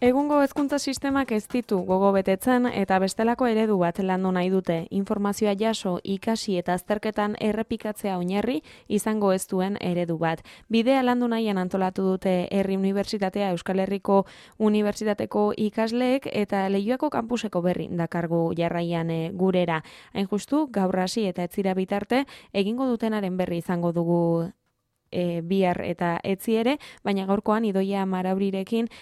Egungo hezkuntza sistemak ez ditu gogo betetzen eta bestelako eredu bat landu nahi dute. Informazioa jaso, ikasi eta azterketan errepikatzea oinarri izango ez duen eredu bat. Bidea landu nahian antolatu dute Herri Unibertsitatea Euskal Herriko Unibertsitateko ikasleek eta Leioako kampuseko berri dakargu jarraian gurera. Hain justu, gaur hasi eta etzira bitarte egingo dutenaren berri izango dugu bihar eta etzi ere, baina gaurkoan Idoia Maraurirekin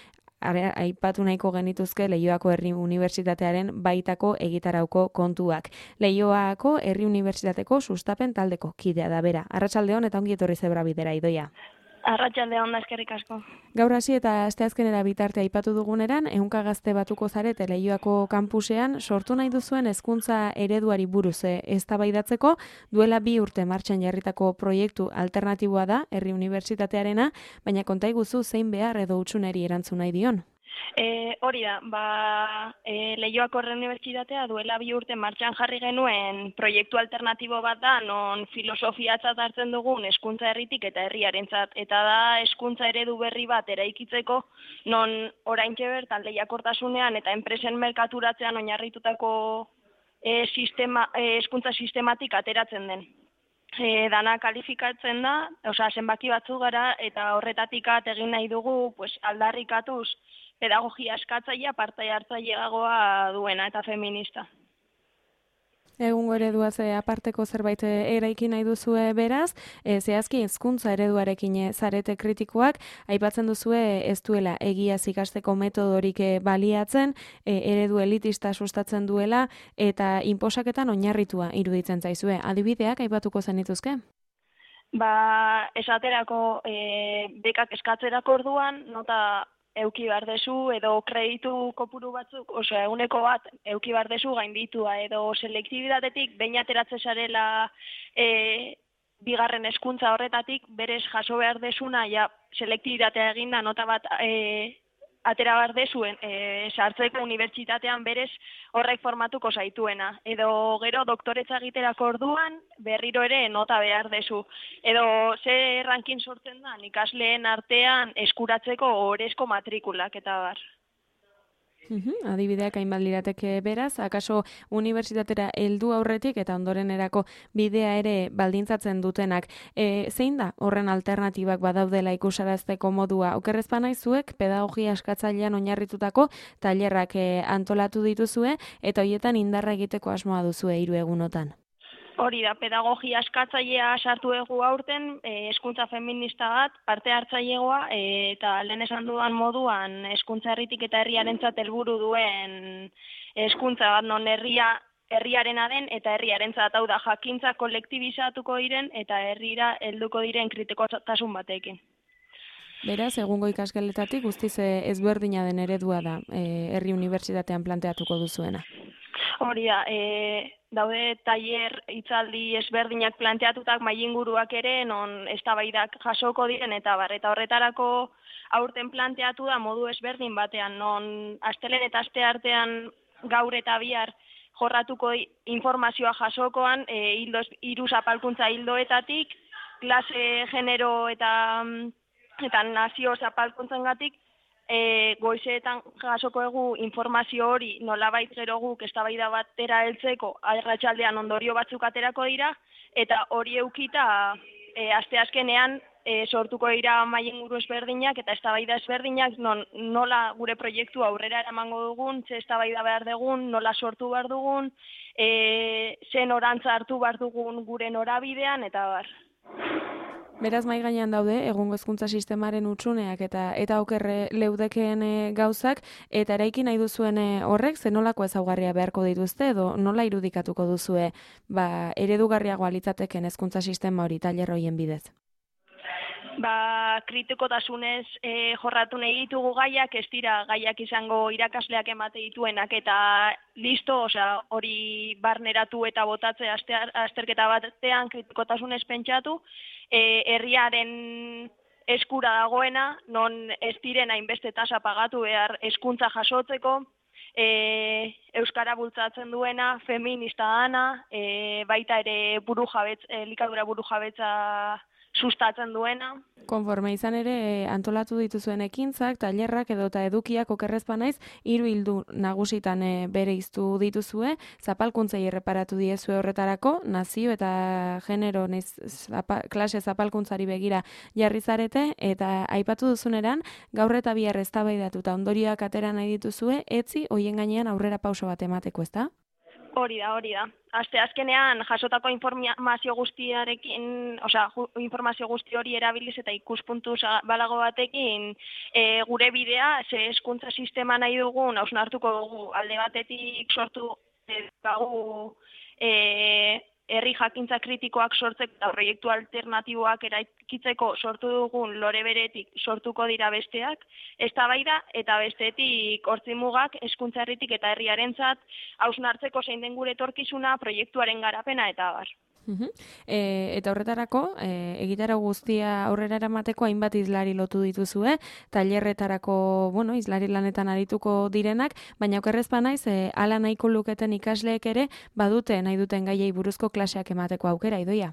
aipatu nahiko genituzke Leioako Herri Unibertsitatearen baitako egitarauko kontuak. Leioako Herri Unibertsitateko sustapen taldeko kidea da bera. Arratsaldeon eta ongi etorri zebra bidera, Idoia. Arratsaldeon da, eskerrik asko. Gaur hasi eta asteazkenera bitarte aipatu duguneran, 100 gazte batuko zarete Leioako kampusean sortu nahi duzuen hezkuntza ereduari buruz eztabaidatzeko, duela 2 urte martxan jarritako proiektu alternatiboa da Herri Unibertsitatearena, baina konta iguzu zein behar edo hutsuneri erantzun nahi dion. Hori da, Leioako Herri Unibertsitatea duela 2 urte martxan jarri genuen proiektu alternatibo bat da, non filosofiatzat hartzen dugun hezkuntza herritik eta herriarentzat, eta da hezkuntza eredu berri bat eraikitzeko, non oraintxe bertan lehiakortasunean eta enpresen merkaturatzean oinarritutako hezkuntza sistematik ateratzen den. Dana kalifikatzen da, zenbaki batzuk gara, eta horretatik egin nahi dugu aldarrikatuz pedagogia eskatzailea parte hartzaileagoa duena eta feminista. Egungo ereduaz aparteko zerbait eraiki nahi duzue beraz, zehazki hezkuntza ereduarekin zarete kritikoak, aipatzen duzue ez duela egiaz ikasteko metodorik baliatzen, eredu elitista sustatzen duela eta inposaketan oinarritua iruditzen zaizue. Adibideak aipatuko zenituzke? Esaterako bekak eskatzerako orduan, nota euki behar dezu, edo kreditu kopuru batzuk, 100% euki behar dezu gainditua, edo selektibitatetik behin ateratzen zarela bigarren hezkuntza horretatik, berez jaso behar dezuna, selektibitatea eginda nota bat atera behar dezuen, sartzeko unibertsitatean berez horrek formatuko zaituena. Edo gero doktoretza egiterako orduan berriro ere nota behar dezu. Edo ze ranking sortzen da ikasleen artean eskuratzeko orezko matrikulak eta bar. Adibideak hainbat lirateke beraz, akaso unibertsitatera heldu aurretik eta ondorenerako bidea ere baldintzatzen dutenak. Zein da horren alternatibak badaudela ikusarazteko modua? Okerrez banaizuek pedagogia eskatzailean oinarritutako tailerrak antolatu dituzue eta hoietan indarra egiteko asmoa duzue 3 egunotan. Hori da, pedagogia eskatzailea sartu egu aurten, hezkuntza feminista bat, parte hartzailegoa, eta lehen esan dudan moduan hezkuntza herritik eta herriarentzat helburu duen hezkuntza bat, non herriarena den eta herriarentzat, hau da, jakintza kolektibizatuko diren eta herrira helduko diren kritikotasun batekin. Beraz, egungo ikasgeletatik guztiz ezberdina den eredua da Herri Unibertsitatean planteatuko duzuena. Hori da, daude tailer hitzaldi ezberdinak planteatutak mailinguruak ere, non eztabaidak jasoko diren eta bar, eta horretarako aurten planteatu da modu ezberdin batean, non astelehen eta asteartean gaur eta bihar jorratuko informazioa jasokoan, 3 zapalkuntza ildoetatik, klase, genero eta nazio zapalkuntzengatik, goizeetan jasoko egu informazio hori nolabait gero guk eztabaida batera heltzeko arratsaldean ondorio batzuk aterako dira, eta hori eukita asteazkenean sortuko dira mailinguru ezberdinak eta eztabaida ezberdinak, nola gure proiektua aurrera eramango dugun, ze eztabaida behar dugun, nola sortu behar dugun, ze norantza hartu behar dugun gure norabidean eta bar. Beraz, mahai gainean daude, egungo hezkuntza sistemaren hutsuneak eta oker leudekeen gauzak, eta eraiki nahi duzuen horrek, zenolako ezaugarria beharko dituzte, edo nola irudikatuko duzue eredugarriagoa litzateken hezkuntza sistema hori tailer horien bidez? Kritikotasunez jorratu nahi ditugu gaiak, ez dira gaiak izango irakasleak emate dituenak eta listo, hori barneratu eta botatze azterketa batean kritikotasunez pentsatu, herriaren eskura dagoena, non ez diren hainbeste tasa pagatu behar hezkuntza jasotzeko, euskara bultzatzen duena, feminista dana, baita ere elikadura burujabetza sustatzen duena. Konforme izan ere antolatu dituzuen ekintzak, tailerrak edota edukiak okerrezpa naiz 3 ildu nagusitan bereiztu dituzue, zapalkuntzei erreparatu diezue horretarako, nazio eta genero klase zapalkuntzari begira jarri zarete, eta aipatu duzuneran, gaur eta bihar eztabaidatuta ondorioak atera nahi dituzue, etzi hoien gainean aurrera pauso bat emateko, ezta? Hori da. Azkenean jasotako informazio guztiarekin, informazio guzti hori erabiliz eta ikuspuntu balago batekin gure bidea, ze hezkuntza sistema nahi dugun, hausnartuko dugu alde batetik sortu dugu herri jakintza kritikoak sortzeko eta proiektu alternatiboak eraikitzeko sortu dugun lore beretik sortuko dira besteak, eztabaida eta bestetik hortzimugak hezkuntza herritik eta herriarentzat hausnartzeko zein den gure etorkizuna, proiektuaren garapena eta abar. Eta horretarako, egitarau guztia aurrera eramateko hainbat hizlari lotu dituzue, tailerretarako, hizlari lanetan arituko direnak, baina okerrezpa naiz, hala nahiko luketen ikasleek ere, badute nahi duten gaiei buruzko klaseak emateko aukera, Idoia?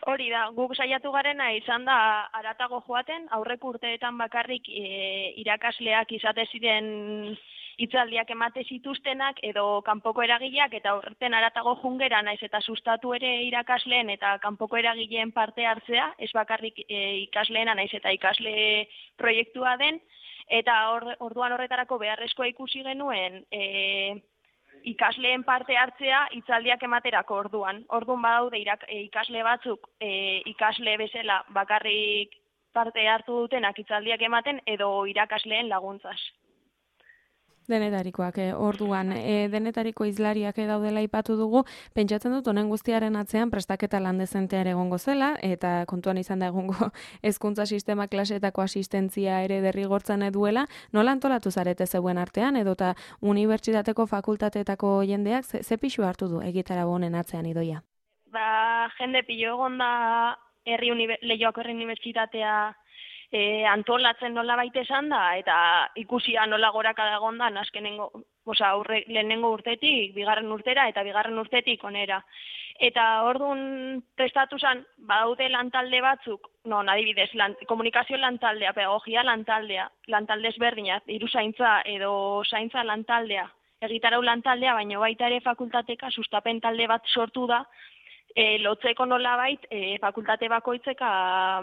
Hori da, guk saiatu garena izan da haratago joaten, aurreko urteetan bakarrik irakasleak izate ziren hitzaldiak emate zituztenak edo kanpoko eragileak eta horreten haratago jungera naiz eta sustatu ere irakasleen eta kanpoko eragileen parte hartzea, ez bakarrik ikasleena naiz eta ikasle proiektua den, eta orduan horretarako beharrezkoa ikusi genuen ikasleen parte hartzea hitzaldiak ematerako orduan. Orduan badaude ikasle batzuk ikasle bezala bakarrik parte hartu dutenak hitzaldiak ematen edo irakasleen laguntzaz. Denetarikoak, orduan, denetariko hizlariak daudela aipatu dugu, pentsatzen dut honen guztiaren atzean prestaketa lan dezentea ere egongo zela, eta kontuan izan da egongo hezkuntza sistema klaseetako asistentzia ere derrigortzen duela, nola antolatu zarete zeuen artean, edota unibertsitateko fakultateetako jendeak, ze pixu hartu du egitarau honen atzean, Idoia? Jende pilo egon da Leioako Herri Unibertsitatea antolatzen nola baita esan da, eta ikusia nola gorakada egon da, lehenengo urtetik, bigarren urtera, eta bigarren urtetik onera. Eta orduan prestatu zen, badaude lantalde batzuk, adibidez, komunikazio lantaldea, pedagogia lantaldea, lantalde ezberdinak, hiruzaintza edo zaintza lantaldea, egitarau lantaldea, baina baita ere fakultateka sustapen talde bat sortu da, lotzeko nolabait fakultate bakoitzeka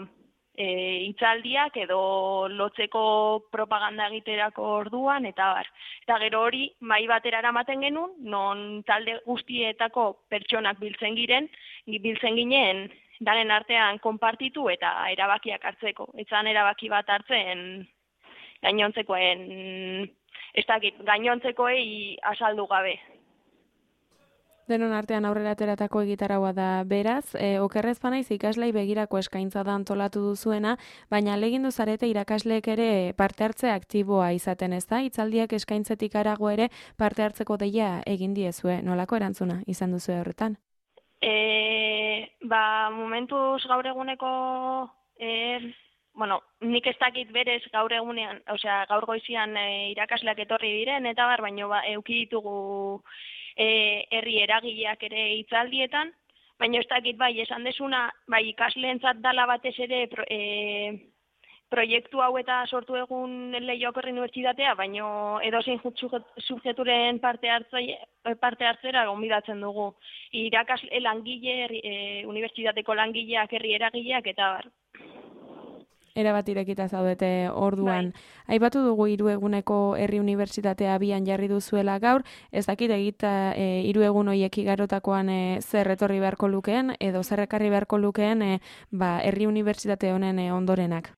hitzaldiak edo lotzeko propaganda egiterako orduan, eta bar. Eta gero hori, mahai batera eramaten genuen, non talde guztietako pertsonak biltzen ginen, daren artean konpartitu eta erabakiak hartzeko. Etzan erabaki bat hartzen gainontzekoei azaldu gabe. Denon artean aurrera ateratako egitaraua da beraz, okerrez banaiz ikaslei begirako eskaintza da antolatu duzuena, baina ahalegin zarete irakasleek ere parte hartze aktiboa izaten, ez da? Hitzaldiak eskaintzetik harago ere parte hartzeko deia egin diezue, nolako erantzuna izan duzu horretan? Momentuz gaur eguneko, nik ez dakit berez gaur egunean, gaur goizian irakasleak etorri diren, eta baino euki ditugu herri eragileak ere hitzaldietan, baina ez dakit esan desuna, ikasleentzat dala batez ere proiektu hau eta sortu egun Leioako Herri Unibertsitatea, baina edozein subjekturen parte hartzera gonbidatzen dugu. Irakasle langile, unibertsitateko langileak, herri eragileak eta bar. Erabat irekita zaudete orduan. Aipatu dugu 3 eguneko Herri Unibertsitatea abian jarri duzuela gaur, ez dakit 3 egun horiek igarotakoan zer etorri beharko lukeen, edo zer ekarri beharko lukeen Herri Unibertsitate honen ondorenak.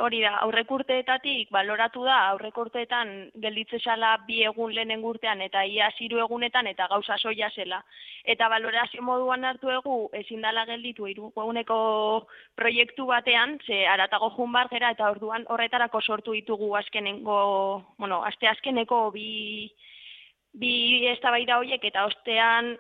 Hori da, aurreko urteetatik baloratu da, aurreko urteetan gelditze zala 2 egun lehenengo urtean eta iaz 3 egunetan eta gauza soia zela. Eta balorazio moduan hartu egu ezin dala gelditu 3 eguneko proiektu batean, ze haratago jun bar gera eta orduan horretarako sortu ditugu asteazkeneko bi eztabaida horiek eta ostean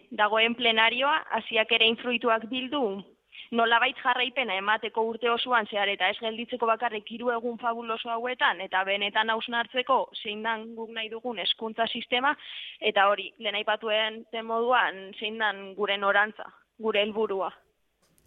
dagoen plenarioa, hasiak ere infruituak bildu, nolabait jarraipena emateko urte osoan zehar eta ez gelditzeko bakarrik 3 egun fabuloso hauetan eta benetan hausnartzeko zein dan guk nahi dugun hezkuntza sistema eta hori, lehen aipatuen moduan zein dan gure norantza, gure helburua.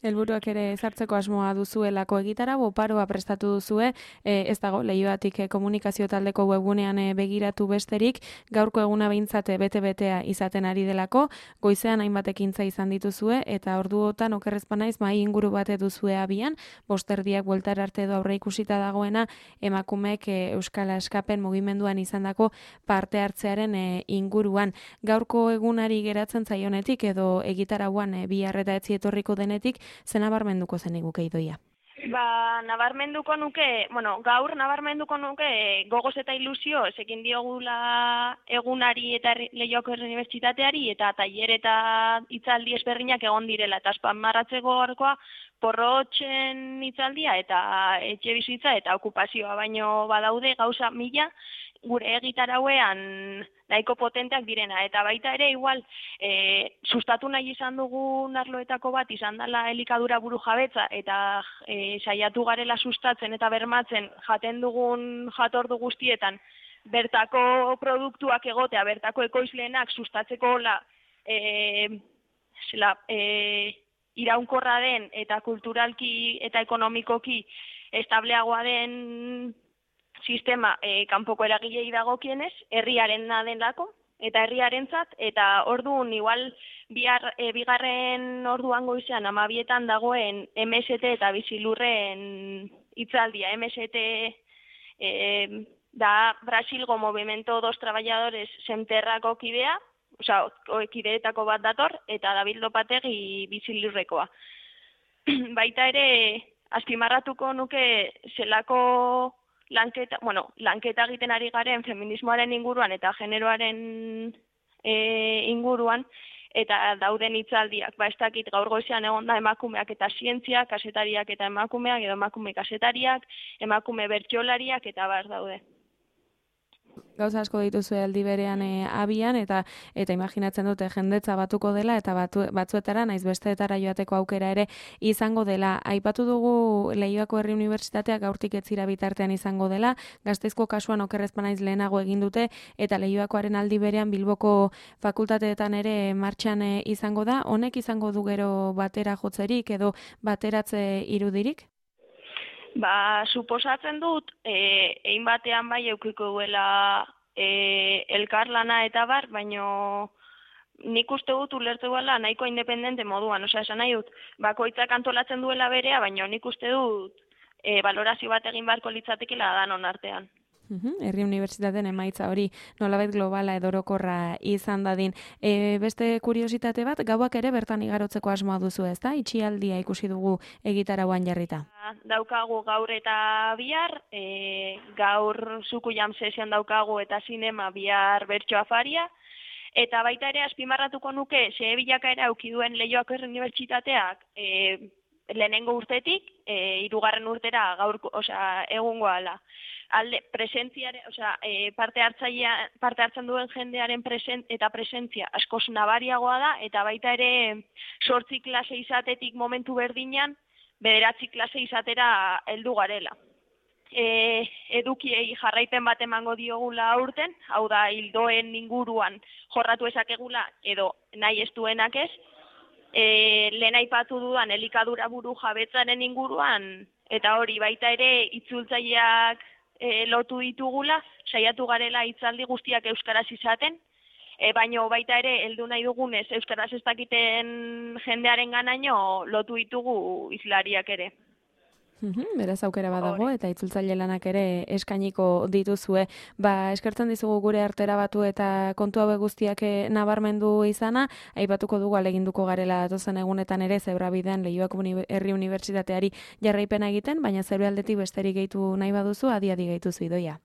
Helburuak ere ezartzeko asmoa duzuelako egitara, oparoa prestatu duzue, ez dago, Leioatik komunikazio taldeko webgunean begiratu besterik, gaurko eguna behintzat bete-betea izaten ari delako, goizean hainbat ekintza izan dituzue, eta orduotan okerrezpa naiz mai inguru bat duzue abian, bosterdiak bueltar arte edo aurre ikusita dagoena, emakumeek Euskal Askapen mugimenduan izandako parte hartzearen inguruan. Gaurko egunari geratzen zaionetik edo egitarauan bihar eta etzi etorriko denetik, zen nabarmenduko zen iguke Idoia? Nabarmenduko nuke, gaur nabarmenduko nuke gogoz eta ilusio, ekin diogula egunari eta Leioako Unibertsitateari eta tailer eta hitzaldi ezberdinak egon direla, eta azpimarratzeko gaurkoa porrotxen hitzaldia eta etxe bizitza eta okupazioa, baino badaude gauza mila gure egitarauean nahiko potenteak direna, eta baita ere igual sustatu nahi izan dugun arloetako bat izan dela elikadura burujabetza eta saiatu garela sustatzen eta bermatzen jaten dugun jatordu guztietan bertako produktuak egotea, bertako ekoizleenak sustatzeko iraunkorra den eta kulturalki eta ekonomikoki estableagoa den sistema kanpoko eragilei dagokienez, herriaren denlako, eta herriarentzat, eta orduan igual bigarren orduan goizean 12etan dagoen MST eta bizilurren hitzaldia. MST da Brasilgo Movimento dos Trabajadores Semterrako kidea, kideetako bat dator, eta David Lopategi bizilurrekoa. Baita ere, azpimarratuko nuke zelako lanketa egiten ari garen feminismoaren inguruan eta generoaren inguruan, eta dauden hitzaldiak, ez dakit gaur goizean egon da emakumeak eta zientziak, kasetariak eta emakumeak, edo emakume kasetariak, emakume bertsolariak eta daude. Gauza asko dituzue aldi berean abian, eta imaginatzen dute jendetza batuko dela, eta batzuetara, naiz besteetara joateko aukera ere izango dela. Aipatu dugu Leioako Herri Unibertsitateak gaurtik etzira bitartean izango dela, Gasteizko kasuan okerrezpa naiz lehenago egin dute, eta Leioakoaren aldi berean Bilboko fakultateetan ere martxan izango da. Honek izango du gero batera jotzerik edo bateratze irudirik? Suposatzen dut, egin batean bai eukiko duela elkarlana eta bar, baino nik uste dut ulertu duela nahiko independente moduan, esan nahi dut, bakoitzak antolatzen duela berea, baino nik uste dut valorazio bat egin barko litzatekela danon artean. Herri Unibertsitateen emaitza hori nolabait globala edo orokorra izan dadin. Beste kuriositate bat, gauak ere bertan igarotzeko asmoa duzu, ezta? Itxialdia ikusi dugu egitarauan jarrita. Daukagu gaur eta bihar, gaur zuku jam sesion daukagu eta sinema bihar bertso afaria, eta baita ere azpimarratuko nuke ze bilakaera eduki duen Leioako Unibertsitateak lehenengo urtetik, 3. urtera gaur, egungo ala. Presentziare, parte hartzen duen jendearen presentzia askoz nabariagoa da, eta baita ere 8 klase izatetik momentu berdinan 9 klase izatera heldu garela. Edukiei jarraipen bat emango diogula aurten, hau da hildoen inguruan jorratu ezakegula edo nahi ez duenak ez, lehen aipatu dudan elikadura burujabetzaren inguruan, eta hori baita ere itzultzaileak lotu ditugula, saiatu garela hitzaldi guztiak euskaraz izaten, baino baita ere heldu nahi dugunez euskaraz ez dakiten jendearen ganaino lotu ditugu hizlariak ere. Beraz aukera badago eta itzultzaile lanak ere eskainiko dituzue. Eskertzen dizugu gure artera batu eta kontu hauek guztiak nabarmendu izana, aipatuko dugu aleginduko garela datozen egunetan ere Zebrabidean Leioako Herri Unibertsitateari jarraipena egiten, baina zeure aldetik besterik gehitu nahi baduzu, adi gehituzu Idoia.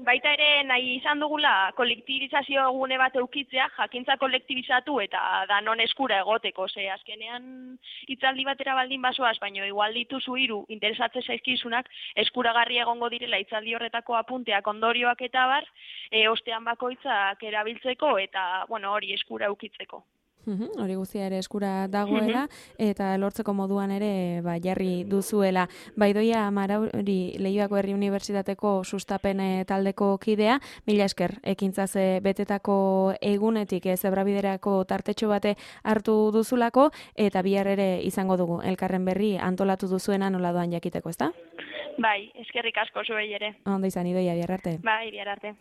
Baita ere nahi izan dugula kolektibizazio gune bat eukitzea, jakintza kolektibizatu eta danon eskura egoteko, azkenean hitzaldi batera baldin basoaz, baino igual dituzu 3 interesatze zaizkizunak eskuragarri egongo direla hitzaldi horretako apunteak, ondorioak eta bar, ostean bakoitzak erabiltzeko eta hori eskura eukitzeko. Hori guztia ere eskura dagoela, eta lortzeko moduan ere jarri duzuela. Baidoia Marauri Leioako Herri Unibertsitateko sustapen taldeko kidea, mila esker, ekintzaz betetako egunetik zebrabiderako tartetxo bate hartu duzulako, eta bihar ere izango dugu elkarren berri antolatu duzuena nola doan jakiteko, ezta? Bai, eskerrik asko zuei ere. Ondo izan, Idoia, bihar arte. Bai, bihar arte.